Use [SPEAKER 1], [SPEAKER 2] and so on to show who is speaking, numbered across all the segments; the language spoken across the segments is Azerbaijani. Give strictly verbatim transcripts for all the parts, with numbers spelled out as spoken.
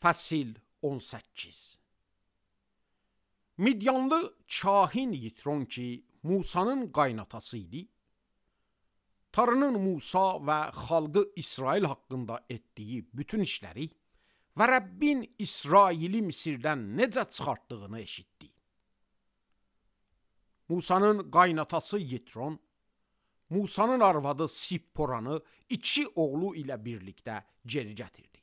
[SPEAKER 1] Fəsil on səkkiz. Midyanlı kahin Yitron ki, Musanın qaynatası idi, Tanrının Musa və xalqı İsrail haqqında etdiyi bütün işləri və Rəbbin İsraili Misirdən necə çıxartdığını eşitdi. Musanın qaynatası Yitron, Musanın arvadı Sipporanı iki oğlu ilə birlikdə geri gətirdi.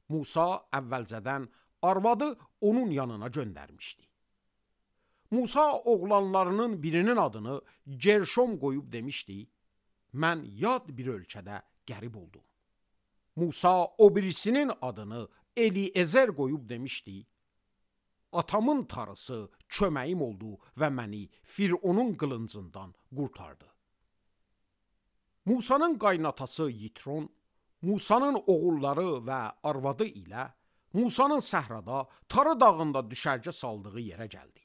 [SPEAKER 1] Musa əvvəlcədən arvadı onun yanına göndərmişdi. Musa oğlanlarının birinin adını Gerşom qoyub demişdi, mən yad bir ölkədə qərib oldum. Musa o birisinin adını Eliezer qoyub demişdi, atamın tarısı köməyim oldu və məni Fironun qılıncından qurtardı. Musanın qaynatası Yitron, Musanın oğulları və arvadı ilə Musanın səhrada, Tarı dağında düşərgə saldığı yerə gəldi.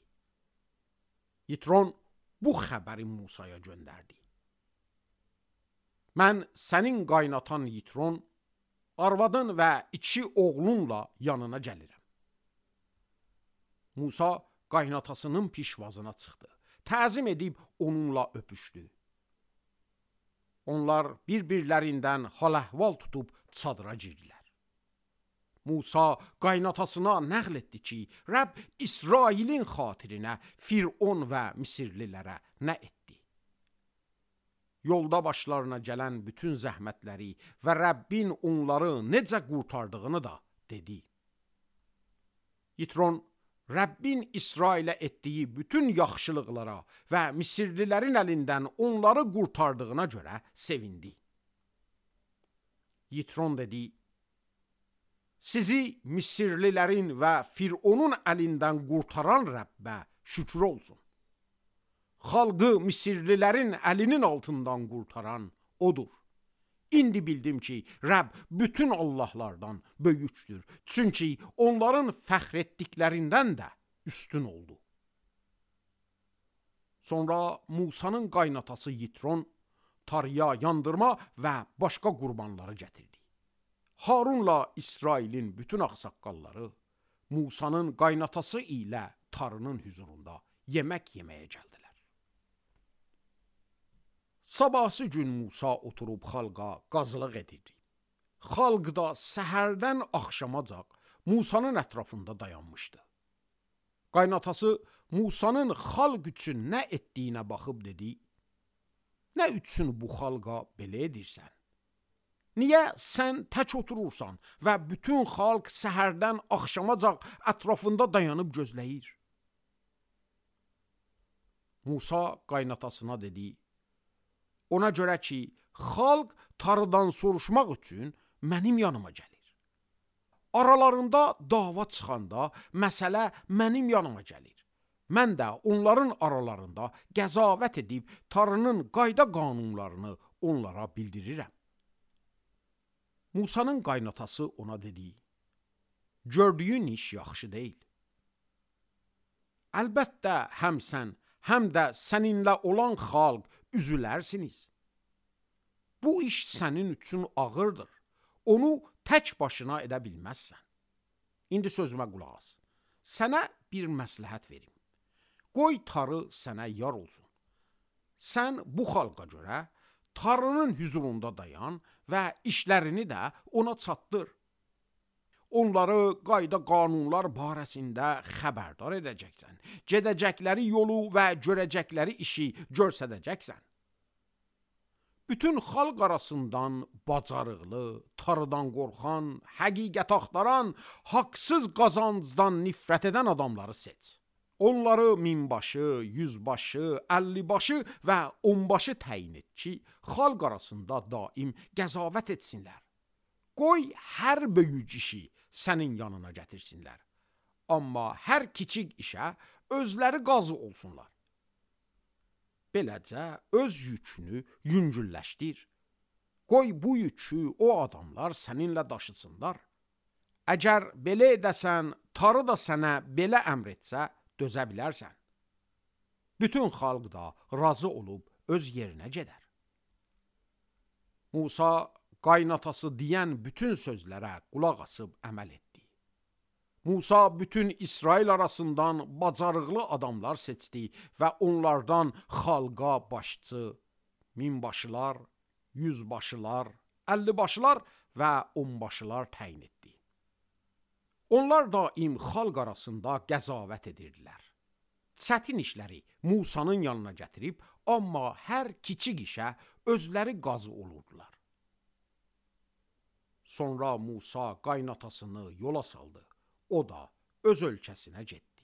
[SPEAKER 1] Yitron bu xəbəri Musaya göndərdi. Mən sənin qaynatan Yitron, arvadın və iki oğlunla yanına gəlirəm. Musa qaynatasının pişvazına çıxdı. Təzim edib onunla öpüşdü. Onlar bir-birlərindən hal-əhval tutub çadıra girdilər. Musa qaynatasına nəql etdi ki, Rəbb İsrailin xatirinə Firon və Misirlilərə nə etdi? Yolda başlarına gələn bütün zəhmətləri və Rəbbin onları necə qurtardığını da dedi. Yitron, Rəbbin İsrailə etdiyi bütün yaxşılıqlara və Misirlilərin əlindən onları qurtardığına görə sevindi. Yitron dedi, sizi Misirlilərin və Fironun əlindən qurtaran Rəbbə şükür olsun. Xalqı Misirlilərin əlinin altından qurtaran odur. İndi bildim ki, Rəbb bütün Allahlardan böyükdür. Çünki onların fəxr etdiklərindən də üstün oldu. Sonra Musanın qaynatası Yitron tarıya yandırma və başqa qurbanları gətirdi. Harunla İsrailin bütün ağsaqqalları Musanın qaynatası ilə tarının hüzurunda yemək yeməyə gəldilər. Sabahsı gün Musa oturub xalqa qazılıq edirdi. Xalq da səhərdən axşamacaq Musanın ətrafında dayanmışdı. Qaynatası Musanın xalq üçün nə etdiyinə baxıb dedi, nə üçün bu xalqa belə edirsən? Niyə sən tək oturursan və bütün xalq səhərdən axşamacaq ətrafında dayanıb gözləyir? Musa qaynatasına dedi, ona görə ki, xalq tarıdan soruşmaq üçün mənim yanıma gəlir. Aralarında dava çıxanda məsələ mənim yanıma gəlir. Mən də onların aralarında qəzavət edib tarının qayda qanunlarını onlara bildirirəm. Musanın qaynatası ona dedi, gördüyün iş yaxşı deyil. Əlbəttə həm sən, həm də səninlə olan xalq üzülərsiniz. Bu iş sənin üçün ağırdır. Onu tək başına edə bilməzsən. İndi sözümə qulaq as. Sənə bir məsləhət verim. Qoy tarı sənə yar olsun. Sən bu xalqa görə tarının hüzurunda dayan və işlərini də ona çatdır. Onları qayda qanunlar barəsində xəbərdar edəcəksən. Gedəcəkləri yolu və görəcəkləri işi göstərəcəksən. Bütün xalq arasından bacarıqlı, tarıdan qorxan, həqiqət axtaran, haqsız qazancdan nifrət edən adamları seç. Onları minbaşı, yüzbaşı, əllibaşı və onbaşı təyin et ki, xalq arasında daim qəzavət etsinlər. Qoy hər böyük işi sənin yanına gətirsinlər. Amma hər kiçik işə özləri qazı olsunlar. Beləcə öz yükünü yüngülləşdir. Qoy bu yükü o adamlar səninlə daşısınlar. Əgər belə edəsən, tarı da sənə belə əmr etsə, dözə bilərsən. Bütün xalq da razı olub öz yerinə gedər. Musa qaynatası deyən bütün sözlərə qulaq asıb əməl etdi. Musa bütün İsrail arasından bacarıqlı adamlar seçdi və onlardan xalqa başçı, minbaşılar, yüzbaşılar, əllibaşılar və onbaşılar təyin etdi. Onlar daim xalq arasında qəzavət edirdilər. Çətin işləri Musanın yanına gətirib, amma hər kiçik işə özləri qazı olurdular. Sonra Musa qaynatasını yola saldı. O da öz ölkəsinə getdi.